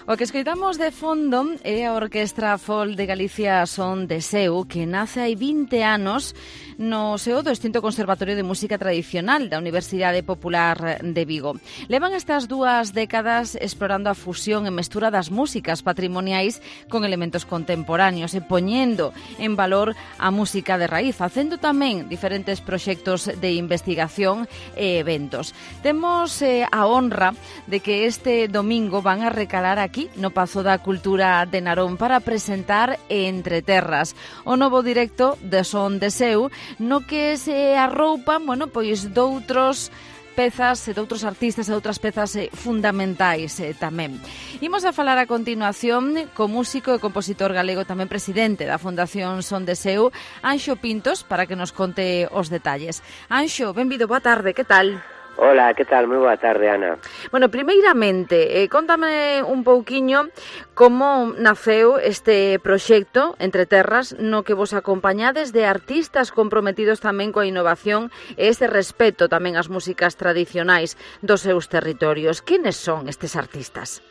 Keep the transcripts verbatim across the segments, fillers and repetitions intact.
O que escoitamos de fondo é a Orquestra Folk de Galicia Son de Seu, que nace hai vinte anos no seo do extinto Conservatorio de Música Tradicional da Universidade Popular de Vigo. Levan estas dúas décadas explorando a fusión e mestura das músicas patrimoniais con elementos contemporáneos e poñendo en valor a música de raíz, facendo tamén diferentes proxectos de investigación e eventos. Temos eh, a honra de que este domingo van a recalar aquí no Pazo da Cultura de Narón para presentar Entre Terras, o novo directo de Son de Seu, no que se arroupan, bueno, pois doutros pezas e de outros artistas e outras pezas eh, fundamentais eh, tamén. Imos a falar a continuación co músico e compositor galego, tamén presidente da Fundación Son de Seu, Anxo Pintos, para que nos conte os detalles. Anxo, benvido, boa tarde, que tal? Hola, que tal? Moi boa tarde, Ana. Bueno, primeiramente, eh, contame un pouquiño como naceu este proxecto Entre Terras, no que vos acompañades de artistas comprometidos tamén coa innovación e este respeto tamén ás músicas tradicionais dos seus territorios. Quenes son estes artistas?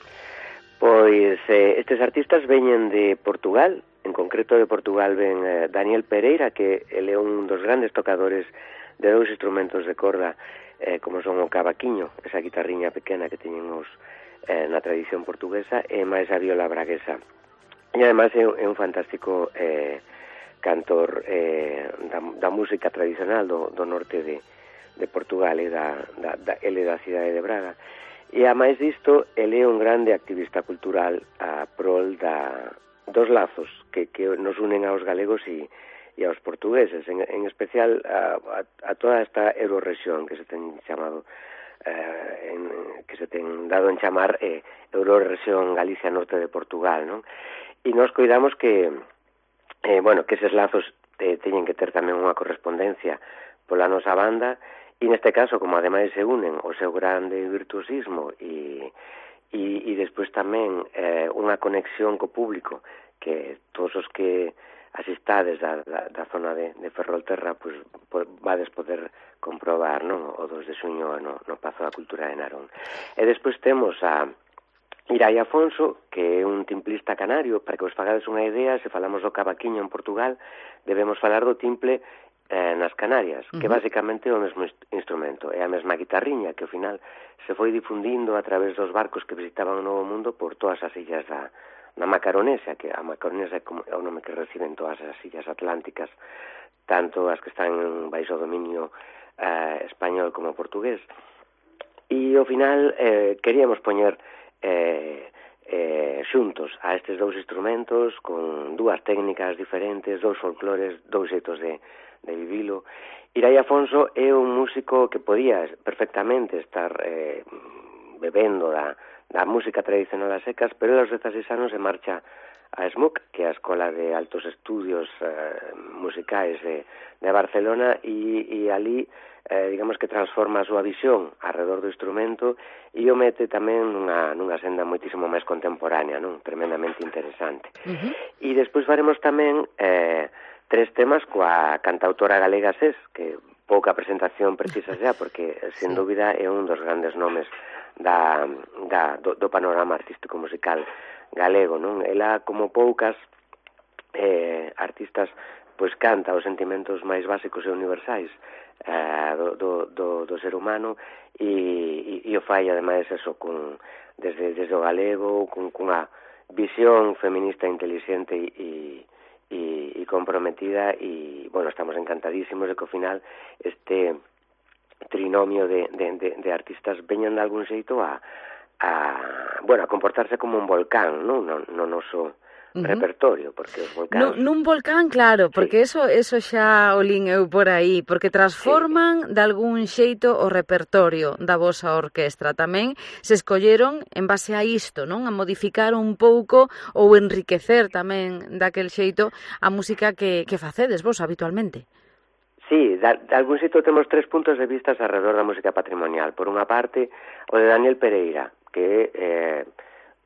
Pois eh, estes artistas veñen de Portugal, en concreto de Portugal ven eh, Daniel Pereira, que ele é un dos grandes tocadores de dous instrumentos de corda, eh, como son o cavaquiño, esa guitarriña pequena que teñen os, eh, na tradición portuguesa, e máis a viola braguesa. E ademais é, é un fantástico eh, cantor eh, da, da música tradicional do, do norte de, de Portugal, e da, da, da, ele da cidade de Braga. E a máis disto, ele é un grande activista cultural a prol da, dos lazos que, que nos unen aos galegos e e aos portugueses, en, en especial a, a, a toda esta eurorexión que se ten chamado, eh, en, que se ten dado en chamar eh, Eurorexión Galicia Norte de Portugal, non? E nos cuidamos que, eh, bueno, que eses lazos eh, teñen que ter tamén unha correspondencia pola nosa banda, e neste caso, como ademais se unen o seu grande virtuosismo e, e, e despois tamén eh, unha conexión co público, que todos os que asistades da, da, da zona de, de Ferrolterra, pois, pues, vades poder comprobar, non? O dos de xuño no, no Pazo da Cultura de Narón. E despois temos a Irai Afonso, que é un timplista canario. Para que vos fagades unha idea, se falamos do cavaquiño en Portugal, debemos falar do timple eh, nas Canarias, uh-huh. que basicamente é o mesmo instrumento, é a mesma guitarriña que ao final se foi difundindo a través dos barcos que visitaban o Novo Mundo por todas as illas da na Macaronesia, que a Macaronesia é o nome que reciben todas as illas atlánticas, tanto as que están baixo o dominio eh, español como portugués. E ao final eh, queríamos poñer eh, eh, xuntos a estes dous instrumentos con dúas técnicas diferentes, dous folclores, dous xeitos de, de vivilo. Irai Afonso é un músico que podía perfectamente estar eh, bebendo da da música tradicional a secas, pero aos dezaseis anos se marcha a SMUC, que é a Escola de Altos Estudios eh, Musicais de, de Barcelona, e, e ali, eh, digamos que transforma a súa visión alrededor do instrumento e o mete tamén nunha, nunha senda moitísimo máis contemporánea, non? Tremendamente interesante. Uh-huh. E despois faremos tamén eh, tres temas coa cantautora galega SES, que pouca presentación precisa xa, porque, sen sí. dúbida, é un dos grandes nomes da, da, do, do panorama artístico musical galego, non? Ela, como poucas eh, artistas, pois canta os sentimentos máis básicos e universais eh, do, do, do, do ser humano, e, e, e o fai, ademais, eso, con, desde, desde o galego, con, con unha visión feminista inteligente e, e, e comprometida, e, bueno, estamos encantadísimos de que ao final este trinomio de, de, de, de artistas veñan de algún xeito a, a, bueno, a comportarse como un volcán, non? No, no noso uh-huh. repertorio, porque os volcáns... No, nun volcán, claro, porque sí. eso eso xa o lin eu por aí, porque transforman sí. de algún xeito o repertorio da vosa orquestra. Tamén se escolleron en base a isto, non? A modificar un pouco ou enriquecer tamén daquel xeito a música que, que facedes vos habitualmente. Sí, de, de algún sitio temos tres puntos de vista alrededor da música patrimonial. Por unha parte, o de Daniel Pereira, que é, eh,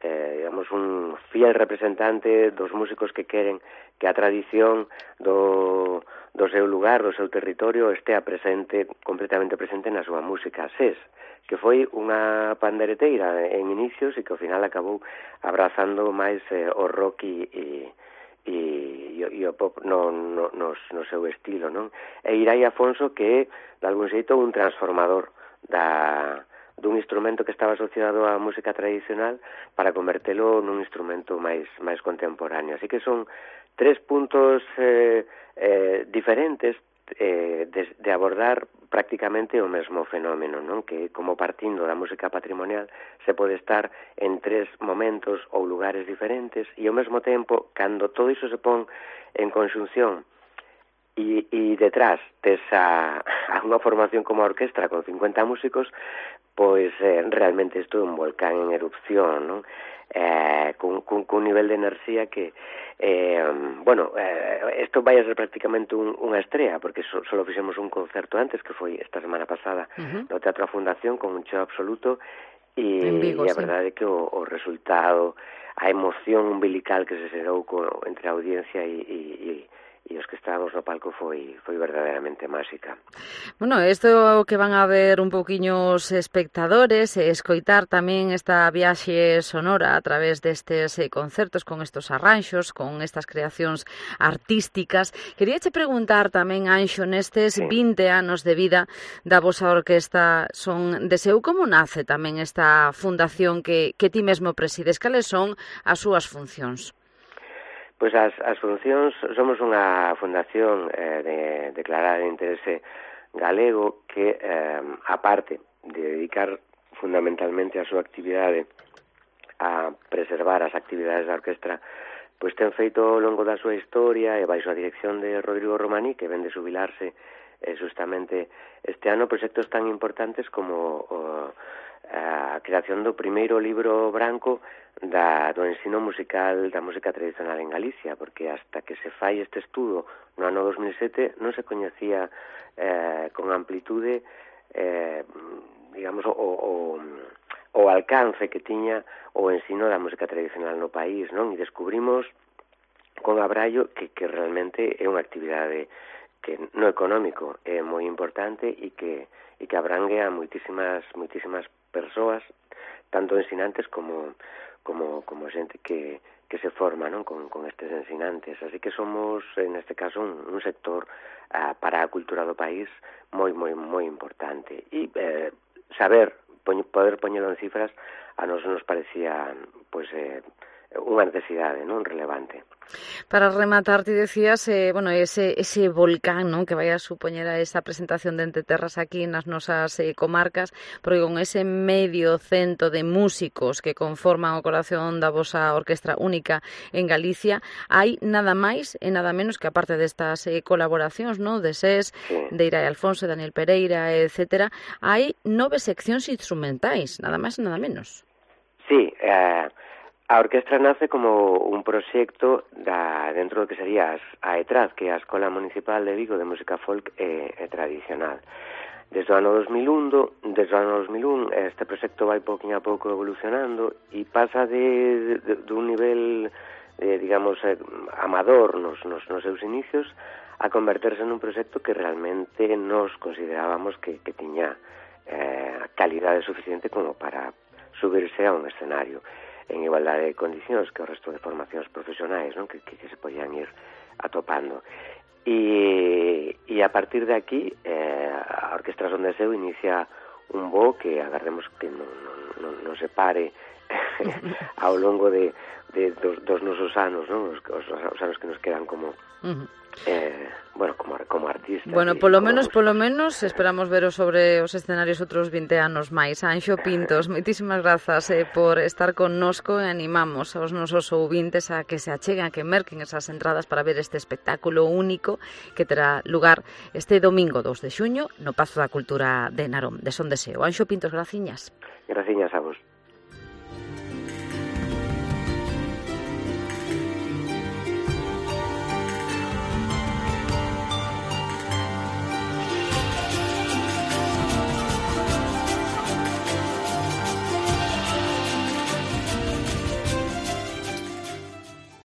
eh, digamos, un fiel representante dos músicos que queren que a tradición do, do seu lugar, do seu territorio, estea presente, completamente presente na súa música. SES, que foi unha pandereteira en inicios e que ao final acabou abrazando máis eh, o rock e, e, e, e o pop no, no, no, no seu estilo, non? E Irai Afonso, que é, de algún xeito, un transformador da, dun instrumento que estaba asociado á música tradicional para convertelo nun instrumento máis, máis contemporáneo. Así que son tres puntos eh, eh, diferentes eh, de, de abordar prácticamente o mesmo fenómeno, non? Que como partindo da música patrimonial se pode estar en tres momentos ou lugares diferentes e ao mesmo tempo, cando todo iso se pon en conxunción e, e detrás desa a unha formación como a orquestra con cincuenta músicos, pois eh, realmente isto é un volcán en erupción, non? Eh, cun, cun, cun nivel de enerxía que eh, bueno, eh, isto vai a ser prácticamente un, unha estrela, porque so, solo fixemos un concerto antes, que foi esta semana pasada, uh-huh. no Teatro A Fundación, con un show absoluto, e, Vigo, e a sí. verdade é que o, o resultado, a emoción umbilical que se xerou co, entre a audiencia e, e, e e os que estábamos no palco foi foi verdadeiramente máxica. Bueno, isto que van a ver un poquinho os espectadores e escoitar tamén esta viaxe sonora a través destes eh, concertos con estos arranxos, con estas creacións artísticas. Queríache preguntar tamén, Anxo, nestes sí. vinte anos de vida da vosa orquesta Son de Seu, como nace tamén esta fundación que, que ti mesmo presides? Cales son as súas funcións? Pois as, as funcións, somos unha fundación eh, de declarada de interese galego que, eh, aparte de dedicar fundamentalmente a súa actividade a preservar as actividades da orquestra, pois ten feito ao longo da súa historia e baixo a dirección de Rodrigo Romaní, que ven de xubilarse eh, justamente este ano, proxectos tan importantes como o, a creación do primeiro libro branco da, do ensino musical da música tradicional en Galicia, porque hasta que se fai este estudo no ano dos mil sete non se coñecía eh, con amplitude eh, digamos o, o, o alcance que tiña o ensino da música tradicional no país, non? E descubrimos con abrallo que, que realmente é unha actividade que no económico é moi importante e que, e que abrangue a moitísimas, moitísimas persoas, tanto ensinantes como como como xente que, que se forma, non? Con, con estes ensinantes. Así que somos, en este caso, un, un sector uh, para a cultura do país moi, moi, moi importante. E eh, saber, poñ, poder poñelo en cifras, a nos nos parecía pois, eh, unha necesidade, non, relevante. Para rematar, ti decías, eh, bueno, ese, ese volcán, ¿no?, que vai a supoñer a esa presentación de Entre Terras aquí nas nosas eh, comarcas, porque con ese medio cento de músicos que conforman o corazón da vosa orquestra única en Galicia, hai nada máis e nada menos que, aparte destas eh, colaboracións, ¿no?, de SES, sí. de Irai Alfonso, Daniel Pereira, etcétera, hai nove seccións instrumentais, nada máis e nada menos. Sí, eh... a orquestra nace como un proxecto da, dentro do que sería as, a ETRAD, que é a Escola Municipal de Vigo de Música Folk e, e Tradicional. Desde o ano dos mil un, desde o ano dos mil un, este proxecto vai pouquinho a pouco evolucionando e pasa de, de, de un nivel, eh, digamos, eh, amador nos, nos, nos seus inicios a converterse nun proxecto que realmente nos considerábamos que, que tiña eh, calidade suficiente como para subirse a un escenario en igualdade de condicións que o resto de formacións profesionais, non? Que, que, que se podían ir atopando. E, e a partir de aquí, eh, a Orquestra Son de Seu inicia un voo que agardemos que non, non, non se pare ao longo de, de dos, dos nosos anos, non? Os, os, os anos que nos quedan como... Uh-huh. Eh, bueno, como, como artista. Bueno, polo menos, polo menos esperamos veros sobre os escenarios outros vinte anos máis. Anxo Pintos, moitísimas grazas eh, por estar connosco e animamos aos nosos ouvintes a que se acheguen, a que merquen esas entradas para ver este espectáculo único que terá lugar este domingo dos de xuño no Pazo da Cultura de Narón, de Son de Seu. Anxo Pintos, graciñas. Graciñas a vos.